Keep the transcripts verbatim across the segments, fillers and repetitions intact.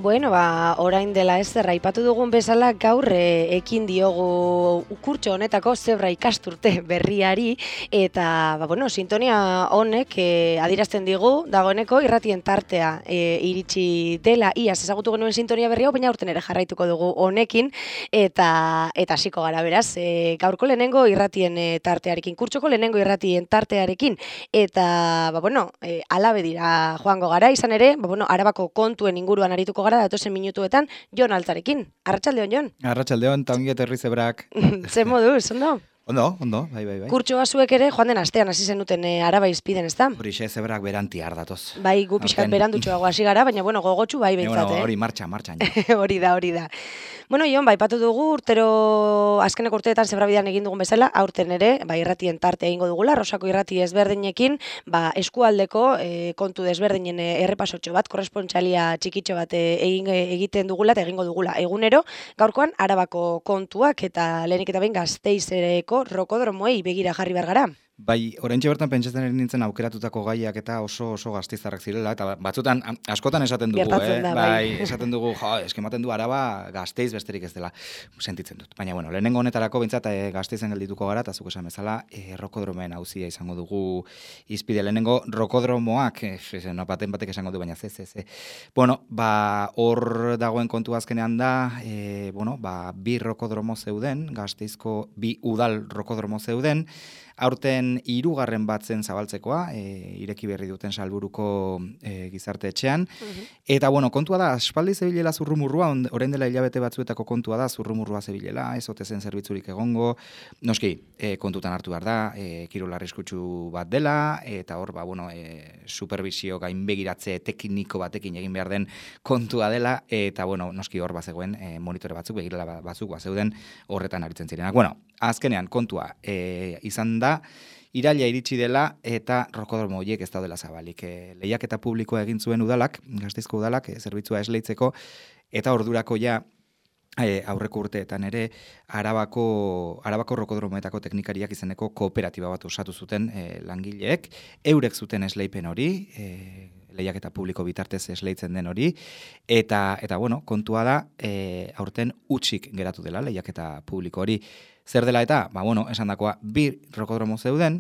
Bueno, ba, orain dela ez zer, aipatu dugun bezala gaur e, ekin diogu kurtso honetako zebra ikasturte berriari, eta, ba, bueno, sintonia honek e, adierazten digu, dagoeneko irratien tartea e, iritsi dela, iaz ezagutu genuen sintonia berri hau, baina aurten ere jarraituko dugu honekin, eta eta hasiko gara beraz, e, gaurko lehenengo irratien e, tartearekin, kurtsoko lehenengo irratien tartearekin, eta, ba, bueno, e, alabe dira joango gara, izan ere, ba, bueno, Arabako kontuen inguruan arituko gara datozen minutuetan Jon Altzarekin. Arratsaldeon, Jon. Arratsaldeon, eta ongi etorri zebrak. Ze moduz, ondo? Ondo, ondo, bai, bai, bai. Kurtsoa zuek ere joan den astean hasi zenuten e, Araba izpiden, ezta? Horixe zebrak beranti ardatoz. Bai, gu pixkat berandutxoago hasi gara, baina bueno, gogotsu bai behintzat, bueno, eh? Hori martxa, martxan. Hori da, hori da. Bueno, Jon, bai, patu dugu urtero azkeneko urteetan zebrabidean egin dugun bezala, aurten ere, bai, irratien tarte egingo dugula, Rosako irrati ezberdinekin, ba, eskualdeko e, kontu desberdinen e, errepasotxo bat, korrespontsalia txikitxo bat e, egin, egiten dugula eta egingo dugula. Egunero, gaurkoan Arabako kontuak eta lehenik eta behin Gasteizeko rokodromoei begira jarri behar gara. Bai, oraintxe bertan pentsatzen ari nintzen aukeratutako gaiak eta oso oso gasteiztarrak zirela, eta batzutan askotan esaten dugu, Gertatzen eh? da, bai, bai. esaten dugu, jo, eskematen du Araba Gasteiz besterik ez dela, sentitzen dut. Baina, bueno, lehenengo honetarako bintzat e, Gasteizen geldituko gara, eta zuk esan bezala, e, rokodromen auzia izango dugu izpide. Lehenengo rokodromoak, e, no, baten batek esango du, baina ze, ze, ze. Bueno, ba, hor dagoen kontu azkenean da, e, bueno, ba, bi rokodromo zeuden, Gasteizko bi udal rokodromo zeuden, aurten hirugarren bat zen zabaltzekoa, e, ireki berri duten Salburuko e, gizarte etxean. Uh-huh. Eta, bueno, kontua da, aspaldi zebilela zurrumurrua, orain dela hilabete batzuetako kontua da, zurrumurrua zebilela, ez ote zen zerbitzurik egongo. Noski, e, kontutan hartu behar da, e, kirol arriskutsu bat dela, eta hor, ba, bueno, e, supervisio gainbegiratze tekniko batekin egin behar den kontua dela, eta, bueno, noski hor bazegoen e, monitore batzuk, begirala batzuk bazeuden horretan aritzen zirenak. Bueno, azkenean, kontua e, izan da, iraila iritsi dela eta rokodromo horiek ez daudela zabalik. E, lehiaketa publikoa egin zuen udalak, Gasteizko udalak, e, zerbitzua esleitzeko, eta ordurako ja e, aurreko urteetan ere Arabako, Arabako rokodromoetako teknikariak izeneko kooperatiba bat osatu zuten e, langileek, eurek zuten esleipen hori, e, lehiaketa publiko bitartez esleitzen den hori, eta, eta bueno, kontua da, e, aurten utxik geratu dela lehiaketa publiko hori. Zer dela eta, ba, bueno, esan dakoa, bi rokodromo zeuden,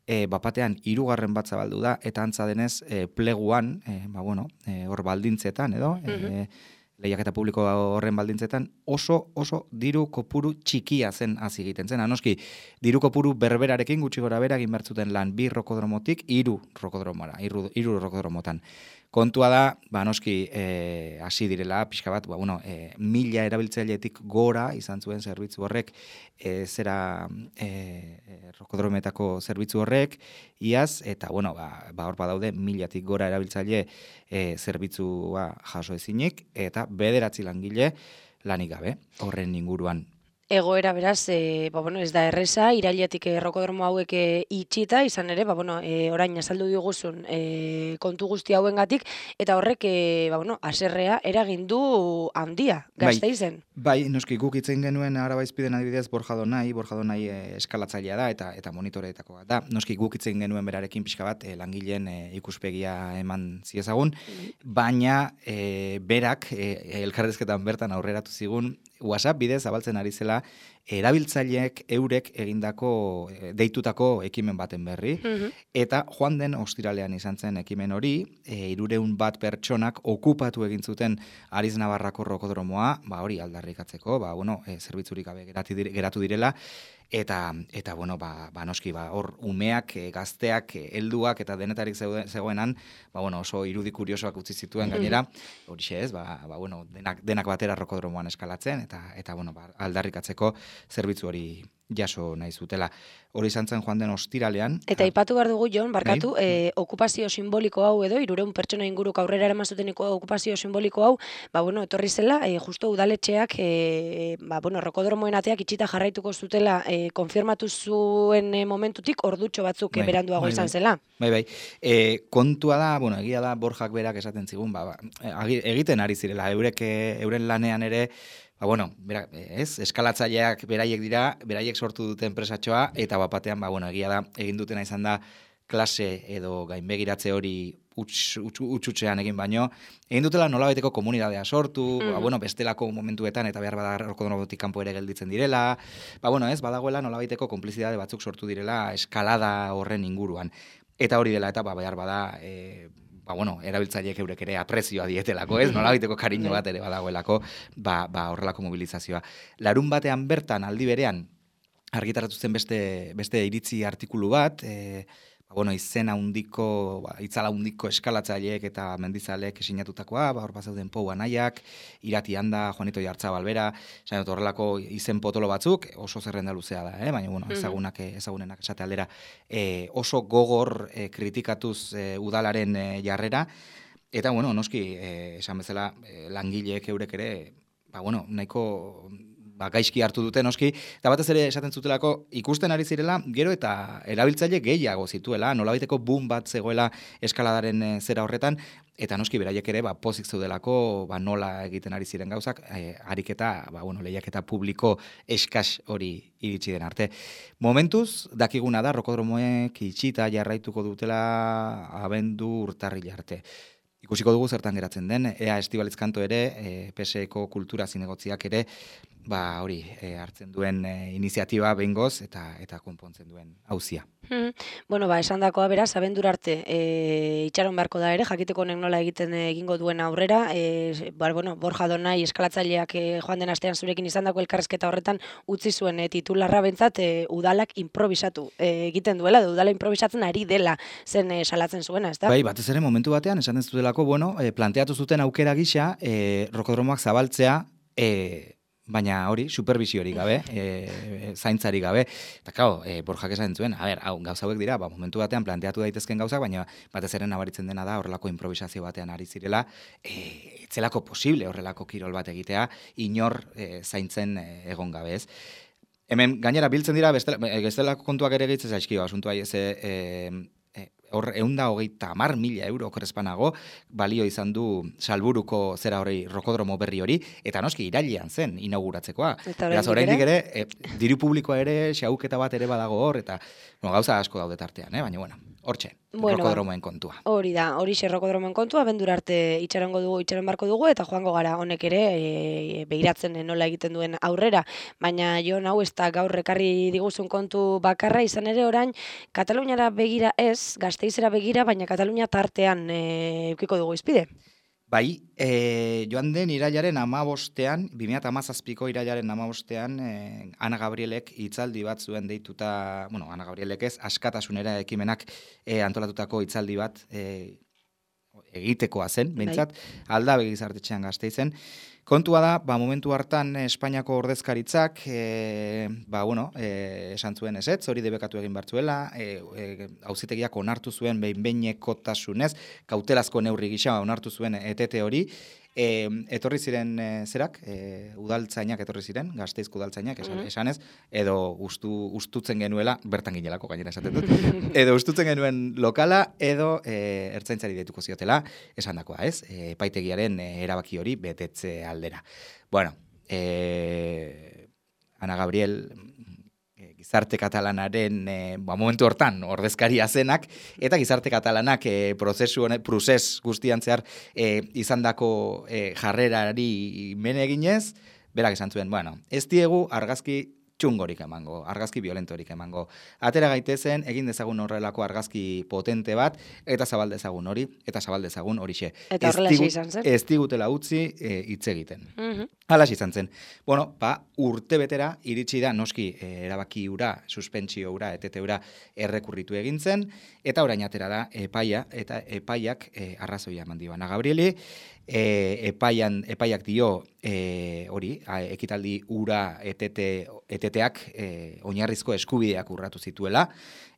e, bapatean hirugarren bat zabaldu da, eta antza denez, e, pleguan, e, ba, bueno, e, hor baldintzetan, edo, uh-huh. e, lehiaketa publiko horren baldintzetan, oso, oso diru kopuru txikia zen hasi egiten zen. Anoski, diru kopuru berberarekin gutxi gora bera egin bertzuten lan bi rokodromotik, hiru rokodromora, hiru, hiru rokodromotan. Kontua da, ba, noski, e, hasi direla, pixka bat, ba, bueno, e, mila erabiltzailetik gora izan zuen zerbitzu horrek, e, zera e, rokodrometako zerbitzu horrek, iaz, eta, bueno, ba, ba hor badaude, milatik gora erabiltzaile e, zerbitzua jaso ezinik, eta bederatzi langile lanik gabe, horren inguruan. Egoera beraz, e, ba, bueno, ez da erreza, irailetik e, rokodromo hauek e, itxita, izan ere, ba, bueno, e, orain azaldu diguzun e, kontu guzti hauengatik, eta horrek, e, ba, bueno, aserrea eragin du handia, Gasteizen. Bai, bai, noski guk itzen genuen Araba izpiden adibidez Borjadonai, Borjadonai e, eskalatzailea da, eta eta monitoreetako bat da. Noski guk itzen genuen berarekin pixka bat, e, langileen e, ikuspegia eman ziezagun, mm-hmm. baina e, berak e, elkarrezketan bertan aurreratu zigun, WhatsApp bidez zabaltzen ari zela erabiltzaileek eurek egindako deitutako ekimen baten berri, mm-hmm. eta joan den ostiralean izan zen ekimen hori, e, irureun bat pertsonak okupatu egin zuten Ariz Navarrako rokodromoa, ba hori aldarrikatzeko, ba bueno, e, zerbitzurik gabe geratu direla, eta eta bueno, ba, ba noski ba hor umeak, e, gazteak, e, helduak eta denetarik zegoenan, ba bueno, oso irudi kuriosoak utzi zituen gainera, horixe ez, ba, ba bueno, denak denak batera rokodromoan eskalatzen eta eta bueno, ba, aldarrikatzeko zerbitzu hori jaso nahi zutela. Hori izan zen joan den ostiralean. Eta aipatu behar dugu, Jon, barkatu, e, okupazio simboliko hau edo, hirureun pertsona inguruk aurrera eramazuteniko okupazio simboliko hau, ba, bueno, etorri zela, e, justo udaletxeak, e, ba, bueno, rokodromoen ateak itxita jarraituko zutela, e, konfirmatu zuen e, momentutik, ordutxo batzuk bai, beranduago bai, izan bai. zela. Bai, bai. E, kontua da, bueno, egia da Borjak berak esaten zigun, ba, ba, egiten ari zirela, eurek, euren lanean ere, ba, bueno, bera, ez, eskalatzaileak beraiek dira, beraiek sortu duten enpresatxoa, eta bapatean, ba, bueno, egia da, egin dutena izan da, klase edo gainbegiratze hori utxutxean egin baino, egin dutela nolabaiteko komunidadea sortu, Mhm. ba, bueno, bestelako momentuetan eta behar bada rokodromotik kanpo ere gelditzen direla, ba, bueno, ez, badagoela nolabaiteko konplizidade batzuk sortu direla eskalada horren inguruan. Eta hori dela eta ba, behar bada, e, ba, bueno, erabiltzaileek eurek ere aprezioa dietelako, ez? Nolabaiteko kariño bat ere badagoelako, ba, ba, horrelako mobilizazioa. Larun batean bertan, aldi berean, argitaratu zen beste, beste iritzi artikulu bat, e, ba, bueno, izena hundiko, ba, itzala hundiko eskalatzaileek eta mendizaleek sinatutakoa, ba, hor bazauden Pou Anaiak, Irati Anda, Juanito Jartzabal bera, esan dut horrelako izen potolo batzuk, oso zerrenda luzea da, eh? Baina, bueno, ezagunak, ezagunenak esate aldera, e, oso gogor e, kritikatuz e, udalaren e, jarrera, eta, bueno, noski, e, esan bezala, e, langileek eurek ere, ba, bueno, nahiko ba, gaizki hartu dute noski, eta batez ere esaten zutelako ikusten ari zirela, gero eta erabiltzaile gehiago zituela, nolabaiteko boom bat zegoela eskaladaren e, zera horretan, eta noski beraiek ere ba, pozik zeudelako ba, nola egiten ari ziren gauzak, e, ariketa, ba, bueno, lehiaketa publiko eskas hori iritsi den arte. Momentuz, dakiguna da, rokodromoek itxita jarraituko dutela abendu urtarrila arte. Ikusiko dugu zertan geratzen den, ea Estibaliz Kanto ere, e, P S Eko kultura zinegotziak ere, ba hori, e, hartzen duen e, iniziatiba behingoz eta eta konpontzen duen auzia. Hmm. Bueno, ba, esan dakoa beraz, abendur arte e, itxaron beharko da ere, jakiteko honek nola egiten egingo duen aurrera, e, ba, bueno, Borja Donai eskalatzaileak e, joan den astean zurekin izan dako elkarrezketa horretan utzi zuen e, titularra bentzat e, udalak improvisatu e, egiten duela, edo udala improvisatzen ari dela zen e, salatzen zuena, ez da? Bai, batez ere momentu batean, esan zutelako, bueno, e, planteatu zuten aukera gisa, e, rokodromoak zabaltzea, e, baina hori, supervisiorik gabe, e, zaintzari gabe, eta kao, e, Borjak esan zuen, a ber, hau, gauza hauek dira, ba, momentu batean planteatu daitezken gauzak, baina batez ere nabaritzen dena da horrelako improvisazio batean ari zirela, e, etzelako posible horrelako kirol bat egitea, inor e, zaintzen e, egon gabe ez. Hemen, gainera, biltzen dira, bestelako kontuak ere gehitzen zaizkio, asuntua, ez, e, hor eunda hogeita hamar mila euro okrespanago balio izan du Salburuko zera hori rokodromo berri hori, eta noski irailean zen inauguratzekoa. Beraz, oraindik ere, e, diru publikoa ere, xauketa bat ere badago hor, eta bueno, gauza asko daude tartean, eh? Baina, bueno, hortxe, bueno, rokodromoen kontua. Hori da, hori xe rokodromoen kontua, bendur arte itxarongo dugu, itxaron barko dugu, eta joango gara honek ere e, begiratzen nola egiten duen aurrera. Baina jo, hau ez da gaur ekarri diguzun kontu bakarra, izan ere orain, Kataluniara begira ez, Gasteizera begira, baina Katalunia tartean e, eukiko dugu izpide. Bai, e, joan den irailaren amabostean, bi mila hamazazpiko irailaren amabostean, e, Ana Gabrielek hitzaldi bat zuen deituta, bueno, Ana Gabrielek ez, askatasunera ekimenak e, antolatutako hitzaldi bat e, egitekoa zen, behintzat, Aldabe Gizartetxean Gasteizen. Kontua da, ba, momentu hartan Espainiako ordezkaritzak, e, ba, bueno, e, esan zuen ezetz, hori debekatu egin bartzuela, e, e, auzitegiak onartu zuen behin-behinekotasunez, kautelazko neurri gisa onartu zuen etete hori, e, etorri ziren e, zerak, e, udaltzainak etorri ziren, Gasteizko udaltzainak, esan, esanez, edo ustu, ustutzen genuela, bertan ginelako gainera esaten dut, edo ustutzen genuen lokala, edo e, ertzaintzari deituko ziotela, esan dakoa, ez? E, epaitegiaren e, erabaki hori betetze aldera. Bueno, eh, Ana Gabriel eh, gizarte katalanaren eh, ba, momentu hortan ordezkaria zenak, eta gizarte katalanak eh, prozesu honek, prozes guztian zehar eh, izandako eh, jarrerari mene eginez, berak esan zuen, bueno, ez diegu argazki txungorik emango, argazki violentorik emango. Atera gaitezen, egin dezagun horrelako argazki potente bat, eta zabal dezagun hori, eta zabal dezagun horixe. Eta horrela izan zen. Ez digutela utzi e, hitz egiten. Mhm. Hala izan zen. Bueno, ba, urte betera iritsi da noski e, erabaki ura, suspentsio ura, etete ura errekurritu egin zen, eta orain atera da epaia, eta epaiak e, arrazoia eman dio Ana Gabrieli, e, epaian, epaiak dio e, hori, a, ekitaldi ura etete, eteteak e, oinarrizko eskubideak urratu zituela,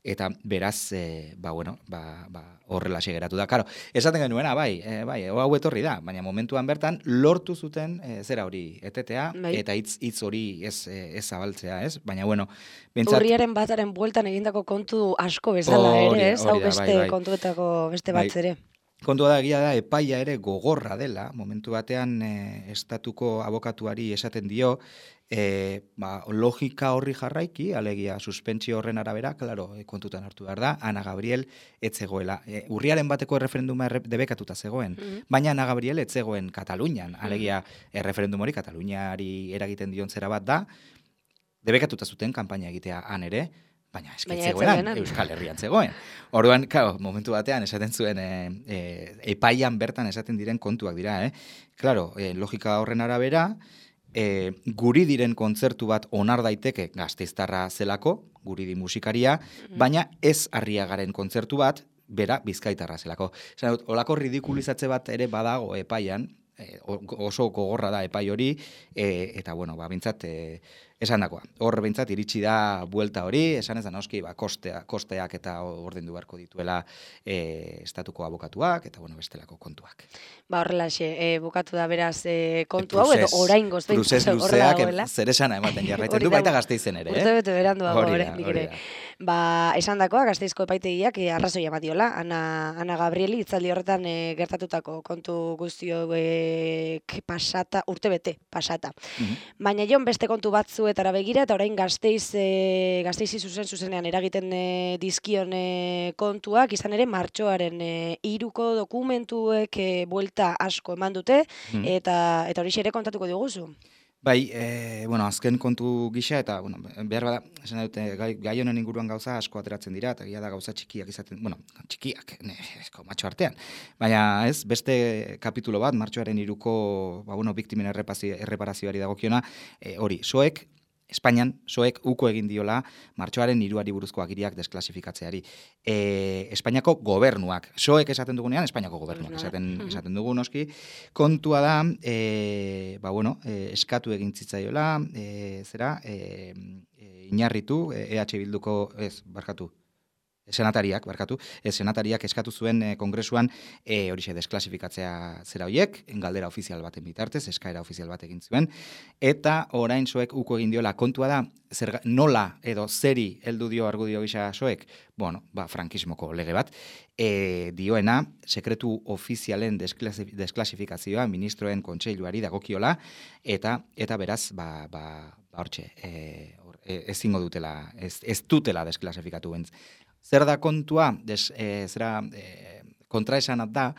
eta beraz, e, ba, bueno, ba, ba, horrela segeratu da. Karo, esaten genuena, bai, e, bai, hau etorri da, baina momentuan bertan lortu zuten e, zera hori etetea, bai. Eta hitz hitz hori ez, ez zabaltzea, ez? Baina, bueno, bentsat... Urriaren bataren bueltan egindako kontu asko bezala ere, ez? Hau beste bai, bai. kontuetako beste bat ere. Kontua da, egia da, epaia ere gogorra dela, momentu batean e, estatuko abokatuari esaten dio, e, ba, logika horri jarraiki, alegia suspentsio horren arabera, klaro, e, kontutan hartu behar da, Ana Gabriel etzegoela. E, urriaren bateko erreferenduma erre, debekatuta zegoen, mm-hmm. baina Ana Gabriel etzegoen Katalunian, alegia erreferendum hori Kataluniari eragiten dion zera bat da, debekatuta zuten kanpaina egitea han ere, baina eskitzegoenan, Euskal Herrian zegoen. Orduan, claro, momentu batean esaten zuen e, e, epaian bertan esaten diren kontuak dira, eh? Claro, e, logika horren arabera, e, guri diren kontzertu bat onar daiteke Gasteiztarra zelako, guri di musikaria, mm-hmm. baina ez Arriagaren kontzertu bat, bera Bizkaitarra zelako. Esan dut, olako ridikulizatze bat ere badago epaian, e, oso gogorra da epai hori, e, eta bueno, ba, bintzat, e, esan dakoa. Hor bintzat iritsi da buelta hori, esan ez da noski, ba, kostea, kosteak eta ordendu beharko dituela e, estatuko abokatuak, eta bueno, bestelako kontuak. Ba, horrelaxe, e, bukatu da beraz e, kontu hau, edo orain gozten. Prozes luzeak, zer esana ematen jarraitzen du, baita Gasteizen ere, eh? Urte bete berandu dago, oraindik ere. Ba, esan dakoa, Gasteizko epaitegiak e, arrazoi ematiola, Ana, Ana Gabrieli itzaldi horretan e, gertatutako kontu guztio e, pasata, urte bete pasata. Mm-hmm. Baina jon beste kontu batzu etara begira, eta orain Gasteiz, e, Gasteizi zuzen zuzenean eragiten e, dizkion e, kontuak, izan ere martxoaren e, hiruko dokumentuek e, buelta asko eman dute, mm. eta eta hori ere kontatuko diguzu. Bai, e, bueno, azken kontu gisa, eta bueno, behar bada, esan dute, gai, gai honen inguruan gauza asko ateratzen dira, eta gila da gauza txikiak izaten, bueno, txikiak, ne, esko, matxo artean. Baina ez, beste kapitulo bat, martxoaren hiruko, ba, bueno, biktimen erreparazioari dagokiona, e, hori, soek, Espainian, soek uko egin diola martxoaren hiruari buruzko agiriak desklasifikatzeari. E, Espainiako gobernuak, soek esaten dugunean, Espainiako gobernuak esaten, esaten dugu noski, kontua da, e, ba bueno, e, eskatu egin zitzaiola, e, zera, e, e, inarritu, e, EH Bilduko, ez, barkatu, senatariak, barkatu, ez, senatariak eskatu zuen e, kongresuan e, horixe desklasifikatzea zera hoiek, galdera ofizial baten bitartez, eskaera ofizial bat egin zuen, eta orain soek uko egin diola kontua da, zer, nola edo zeri heldu dio argudio gisa soek, bueno, ba, frankismoko lege bat, e, dioena, sekretu ofizialen desklasif, desklasifikazioa ministroen kontseiluari dagokiola, eta eta beraz, ba, ba, ba hortxe, e, or, e, ezingo dutela, ez, ez dutela desklasifikatu bentz. Zer da kontua, des, e, zera, e, kontraesanat da,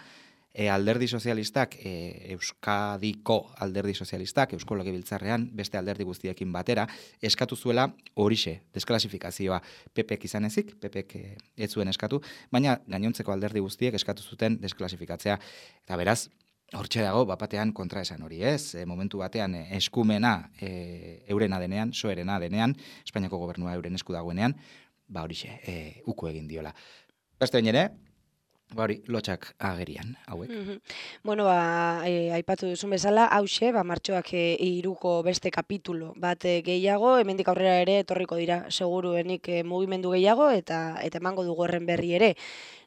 e, alderdi sozialistak, e, Euskadiko alderdi sozialistak, Eusko Legebiltzarrean, beste alderdi guztiekin batera, eskatu zuela horixe, desklasifikazioa. Pepek izan ezik, Pepek e, ez zuen eskatu, baina gainontzeko alderdi guztiek eskatu zuten desklasifikazioa. Eta beraz, hortxe dago, bapatean kontraesan hori ez, e, momentu batean e, eskumena e, eurena denean, soerena denean, Espainiako gobernua euren esku dagoenean, ba horixe, e, uko egin diola. Beste bain ere, ba hori, lotxak agerian, hauek. Mm-hmm. Bueno, ba, e, aipatu duzun bezala, hause, ba, martxoak e, iruko beste kapitulo bat e, gehiago, hemendik aurrera ere etorriko dira, seguruenik e, mugimendu gehiago, eta eta emango dugu horren berri ere.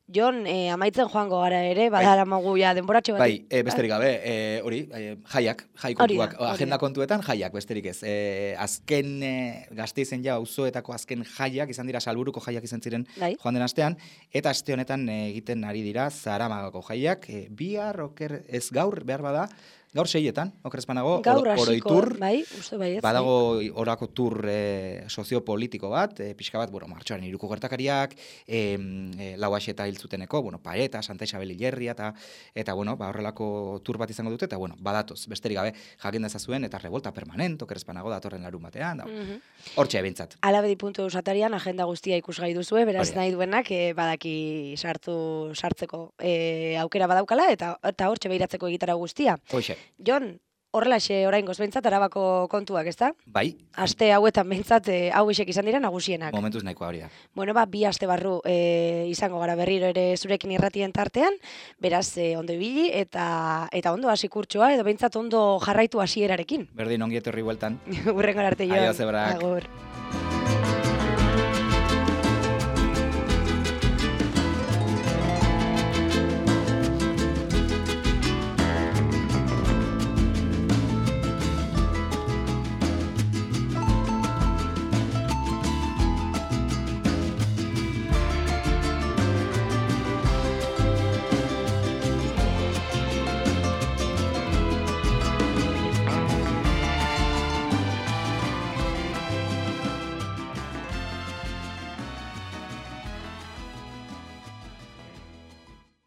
Jon, eh, amaitzen joango gara ere, badara bai. Magu ja denboratxo bat. Bai, e, besterik gabe, e, hori, e, jaiak, jai kontuak, da, agenda kontuetan jaiak, besterik ez. E, azken e, Gasteizen ja auzoetako azken jaiak, izan dira Salburuko jaiak izan ziren bai. Joan den astean, eta aste honetan e, egiten ari dira Zaramagako jaiak, e, bihar, oker, ez gaur, behar bada, gaur seietan, okerezpanago, oroitur, bai, uste bai ez. Badago orako tur e, soziopolitiko bat, e, pixka bat, bueno, martxoaren hiruko gertakariak, e, e, lauaxeta hiltzuteneko, bueno, Paeta, Santa Isabel Ilerria, eta, eta bueno, ba, horrelako tur bat izango dute, eta bueno, badatoz, besterik gabe, jakin dezazuen, eta revolta permanent, okerezpanago datorren larun batean, da, mm-hmm. Hortxe ebintzat. Alabedi puntu usatarian, agenda guztia ikusgai duzue, beraz nahi duenak, e, badaki sartu, sartzeko e, aukera badaukala, eta, eta hortxe behiratzeko egitara guztia. Hoxe. Jon, horrelaxe oraingoz behintzat Arabako kontuak, ezta? Bai. Aste hauetan behintzat e, hau isek izan dira nagusienak. Momentuz nahikoa hori da. Bueno, ba, bi aste barru e, izango gara berriro ere zurekin irratien tartean, beraz e, ondo ibili eta eta ondo hasi kurtsoa edo behintzat ondo jarraitu hasierarekin. Berdin ongi etorri bueltan. Hurrengora arte, Jon. Aio, zebrak. Agur.